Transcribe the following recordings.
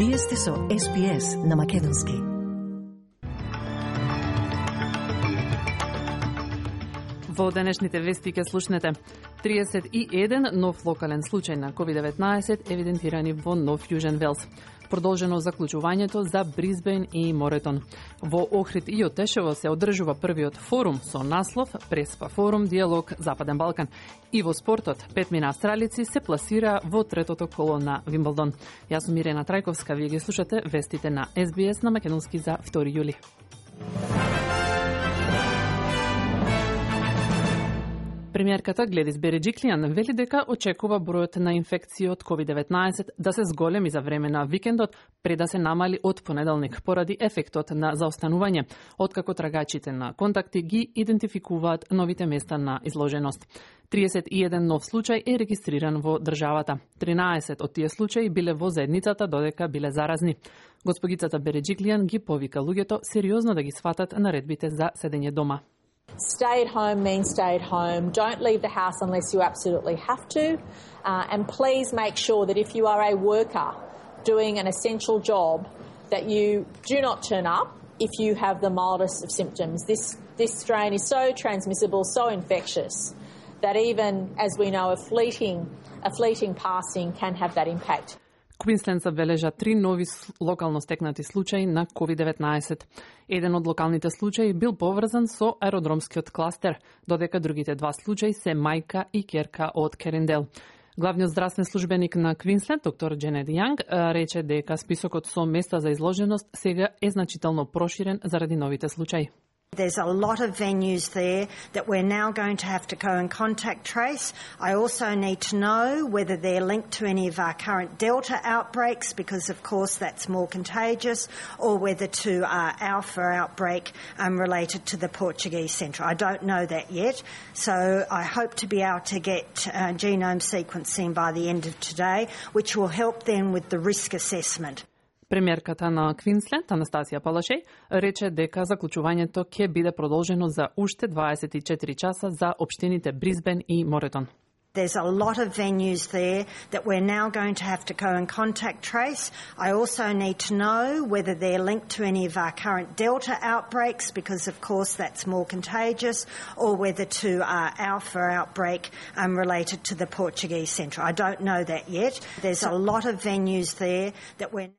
Вие сте со SBS на Македонски. Во денешните вести ќе слушнете 31 нов локален случај на COVID-19 евидентирани во Нов Јужен Велс. Продолжено заклучувањето за Бризбен и Моретон. Во Охрид и Отешево се одржува првиот форум со наслов Преспа форум диалог Западен Балкан. И во спортот, 5 австралици се пласира во третото коло на Вимблдон. Јас сум Ирена Трајковска, вие ги слушате вестите на SBS на Македонски за 2 јули. Премиерката Гледис Береджиклијан вели дека очекува бројот на инфекции од COVID-19 да се зголеми за време на викендот, пред да се намали од понеделник, поради ефектот на заостанување, откако трагачите на контакти ги идентификуваат новите места на изложеност. 31 нов случај е регистриран во државата. 13 од тие случаи биле во заедницата, додека биле заразни. Господицата Береджиклијан ги повика луѓето сериозно да ги сватат наредбите за седење дома. Stay at home means stay at home. Don't leave the house unless you absolutely have to. And please make sure that if you are a worker doing an essential job, that you do not turn up if you have the mildest of symptoms. This strain is so transmissible, so infectious, that even, as we know, a fleeting passing can have that impact. Квинсленд забележа 3 нови локално стекнати случаи на COVID-19. Еден од локалните случаи бил поврзан со аеродромскиот кластер, додека другите 2 случаи се мајка и ќерка од Кериндел. Главниот здравствен службеник на Квинсленд, доктор Дженет Јанг, рече дека списокот со места за изложеност сега е значително проширен заради новите случаи. There's a lot of venues there that we're now going to have to go and contact trace. I also need to know whether they're linked to any of our current Delta outbreaks, because of course that's more contagious, or whether to our Alpha outbreak related to the Portuguese Centre. I don't know that yet, so I hope to be able to get genome sequencing by the end of today, which will help then with the risk assessment. Премиерката на Квинсленд, Анастасија Палашеј, рече дека заклучувањето ќе биде продолжено за уште 24 часа за општините Бризбен и Моретон. There's a lot of venues there that we're now going to have to go and contact trace. I also need to know whether they're linked to any of our current Delta outbreaks, because of course that's more contagious, or whether to our Alpha outbreak related to the Portuguese Centre. I don't know that yet. There's a lot of venues there that we're...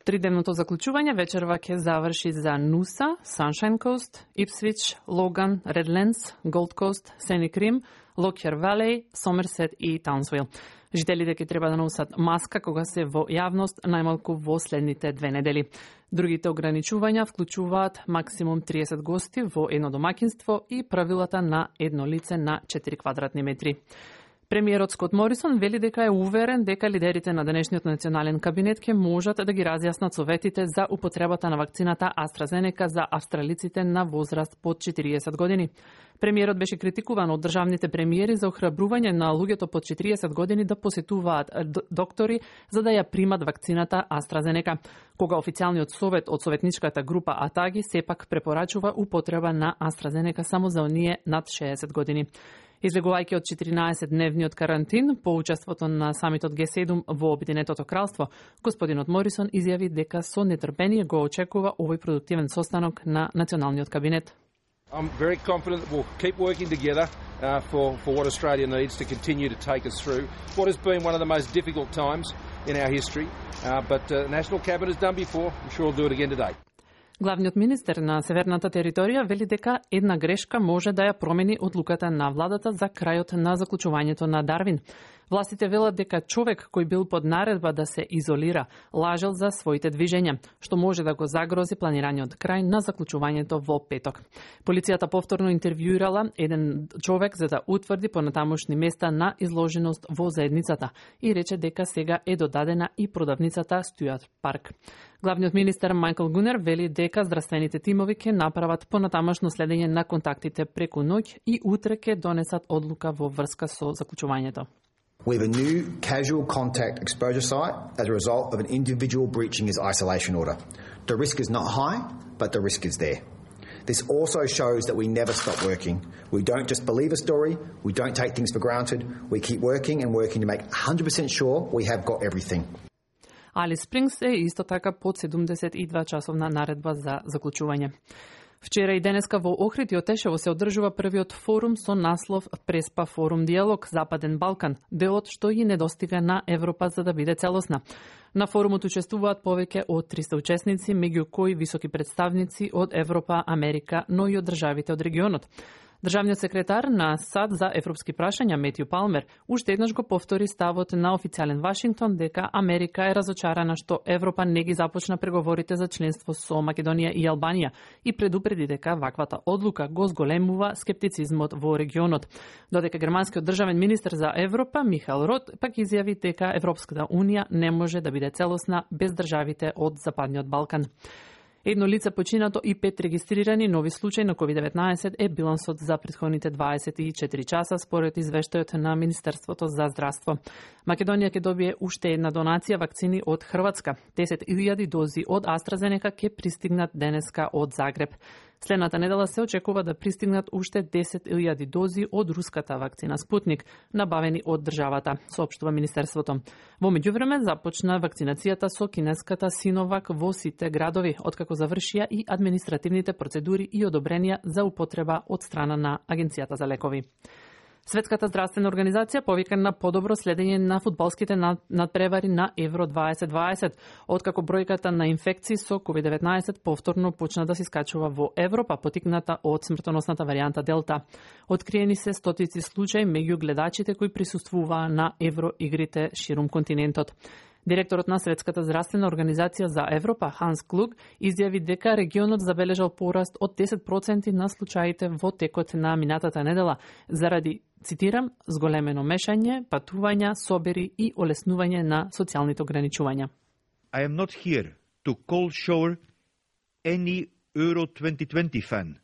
Тридневното заклучување вечерва ќе заврши за Нуса, Sunshine Coast, Ipswich, Логан, Redlands, Gold Coast, Scenic Rim, Lockyer Valley, Somerset и Townsville. Жителите ќе треба да носат маска кога се во јавност најмалку во следните 2 недели. Другите ограничувања вклучуваат максимум 30 гости во едно домаќинство и правилата на едно лице на 4 квадратни метри. Премиерот Скот Морисон вели дека е уверен дека лидерите на денешниот национален кабинет ќе можат да ги разјаснат советите за употребата на вакцината AstraZeneca за австралиците на возраст под 40 години. Премиерот беше критикуван од државните премиери за охрабрување на луѓето под 40 години да посетуваат доктори за да ја примат вакцината AstraZeneca, кога официјалниот совет од советничката група Атаги сепак препорачува употреба на AstraZeneca само за оние над 60 години. Излегувајќи од 14-дневниот карантин по учеството на самитот Г7 во Обединетото кралство, господинот Морисон изјави дека со нетрпение го очекува овој продуктивен состанок на националниот кабинет. I'm very confident that we'll keep working together for what Australia needs to continue to take us through what has been one of the most difficult times in our history. But the National Cabinet has done before. I'm sure we'll do it again today. Главниот министер на Северната територија вели дека една грешка може да ја промени одлуката на владата за крајот на заклучувањето на Дарвин. Властите велат дека човек кој бил под наредба да се изолира, лажел за своите движења, што може да го загрози планираниот крај на заклучувањето во петок. Полицијата повторно интервјуирала еден човек за да утврди понатамошни места на изложеност во заедницата и рече дека сега е додадена и продавницата Стюарт Парк. Главниот министер Майкл Гунер вели дека здравствените тимови ќе направат понатамошно следење на контактите преку ноќ и утре ќе донесат одлука во врска со заклучувањето. We have a new casual contact exposure site as a result of an individual breaching his isolation order. The risk is not high, but the risk is there. This also shows that we never stop working. We don't just believe a story, we don't take things for granted, we keep working and working to make 100% sure we have got everything. Али Спрингс е исто така под 72 часовна наредба за заклучување. Вчера и денеска во Охрид и Отешево се одржува првиот форум со наслов Преспа форум диалог Западен Балкан, делот што и недостига на Европа за да биде целосна. На форумот учествуваат повеќе од 300 учесници, меѓу кои високи представници од Европа, Америка, но и од државите од регионот. Државниот секретар на САД за европски прашања Метју Палмер уште еднаш го повтори ставот на официјален Вашингтон дека Америка е разочарана што Европа не ги започна преговорите за членство со Македонија и Албанија и предупреди дека ваквата одлука го зголемува скептицизмот во регионот. Додека германскиот државен министер за Европа Михаел Рот пак изјави дека Европската унија не може да биде целосна без државите од Западниот Балкан. Едно лице починато и 5 регистрирани нови случаи на COVID-19 е билансот за претходните 24 часа според извештајот на Министерството за здравство. Македонија ќе добие уште една донација вакцини од Хрватска. 10.000 дози од AstraZeneca ќе пристигнат денеска од Загреб. Следната недела се очекува да пристигнат уште 10.000 дози од руската вакцина Спутник, набавени од државата, соопштува Министерството. Во меѓувреме започна вакцинацијата со кинеската Синовак во сите градови, откако завршија и административните процедури и одобренија за употреба од страна на Агенцијата за лекови. Светската здравствена организација повика на подобро следење на фудбалските надпревари на Евро 2020, откако бројката на инфекции со COVID-19 повторно почна да се искачува во Европа, потикната од смртоносната варијанта Делта. Откриени се стотици случаи меѓу гледачите кои присуствуваа на Евроигрите ширум континентот. Директорот на Светската здравствена организација за Европа, Ханс Клуг, изјави дека регионот забележал пораст од 10% на случаите во текот на минатата недела, заради, цитирам, зголемено мешање, патувања, собери и олеснување на социјалните ограничувања. I am not here to cold shower any Euro 2020 fan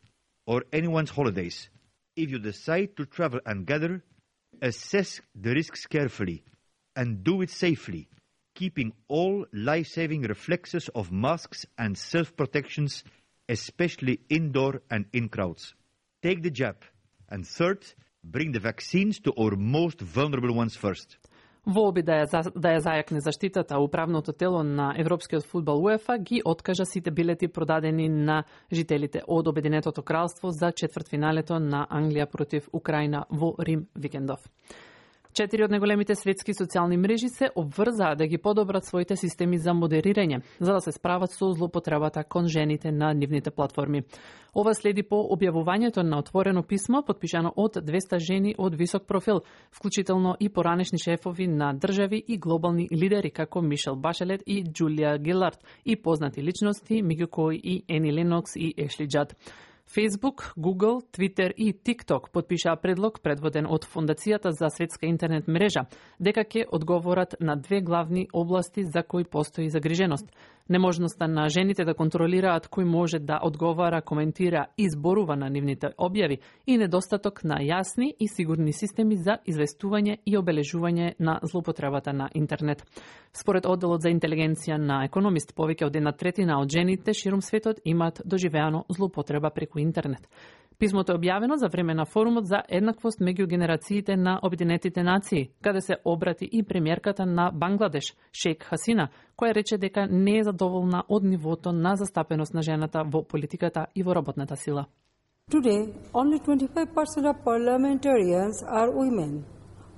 or anyone's holidays. If you decide to travel and gather, assess the risks carefully and do it safely, keeping all life-saving reflexes of masks and self-protections, especially indoor and in crowds. Take the jab. And third, bring the vaccines to our most vulnerable ones first. Во обид да ја зајакне заштитата, управното тело на Европскиот фудбал УЕФА ги откажа сите билети продадени на жителите од Обединетото кралство за четвртфиналето на Англија против Украина во Рим викендов. 4 од најголемите светски социјални мрежи се обврзаа да ги подобрат своите системи за модерирање, за да се справат со злоупотребата кон жените на нивните платформи. Ова следи по објавувањето на отворено писмо, подпишано од 200 жени од висок профил, вклучително и поранешни шефови на држави и глобални лидери како Мишел Башелет и Џулија Гилард и познати личности, меѓу кои и Ени Ленокс и Ешли Џад. Facebook, Google, Twitter и TikTok подпишаа предлог предводен од Фондацијата за светска интернет мрежа, дека ќе одговорат на две главни области за кои постои загриженост. Неможноста на жените да контролираат кој може да одговара, коментира и зборува на нивните објави и недостаток на јасни и сигурни системи за известување и обележување на злоупотребата на интернет. Според одделот за интелигенција на Економист, повеќе од 1/3 од жените ширум светот имаат доживеано злоупотреба преку интернет. Писмото е објавено за време на форумот за еднаквост меѓу генерациите на Обединетите нации, каде се обрати и премиерката на Бангладеш, Шејк Хасина, која рече дека не е задоволна од нивото на застапеност на жената во политиката и во работната сила. Today, only 25% of parliamentarians are women,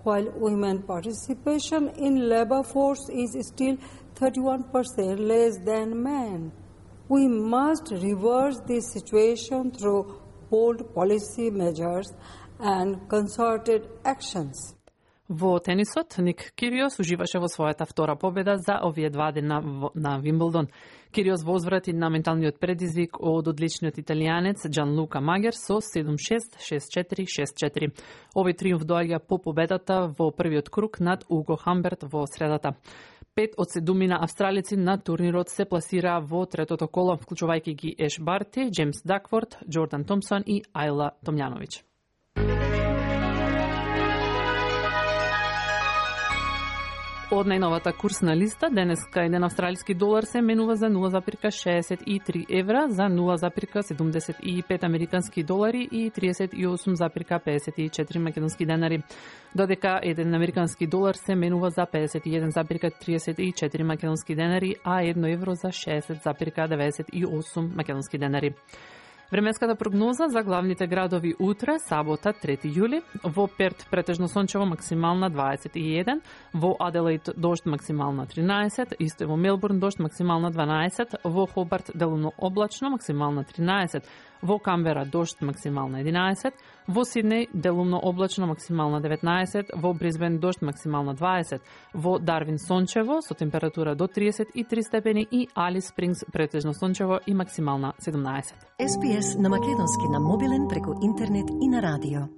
while women participation in labor force is still 31% less than men. We must reverse this situation through bold policy measures and concerted actions. Во тенисот, Ник Кириос уживаше во својата втора победа за овие 2 дена на Вимблдон. Кириос возврати на менталниот предизвик од одличниот италијанец Џанлука Магер со 7-6, 6-4, 6-4. Овој триумф доаѓа по победата во првиот круг над Уго Хамберт во средата. 5 од 7 австралици на турнирот се пласираа во третото коло, вклучувајќи ги Еш Барти, Джеймс Дакворд, Џордан Томсон и Ајла Томљановиќ. Од најновата курсна листа, денеска еден австралиски долар се менува за 0,63 евра, за 0,75 американски долари и 38,54 македонски денари. Додека еден американски долар се менува за 51,34 македонски денари, а 1 евро за 60,98 македонски денари. Временската прогноза за главните градови утре, сабота, 3 јули. Во Перт претежно сончево, максимална 21, во Аделаид дожд максимална 13, исто и во Мелбурн дожд максимална 12, во Хобарт делумно облачно максимална 13, во Камбера дожд максимална 11, во Сиднеј делумно облачно максимална 19, во Брисбен дожд максимална 20, во Дарвин сончево со температура до 33 степени и Алис Спрингс претежно сончево и максимална 17. SPS на македонски на мобилен преку интернет и на радио.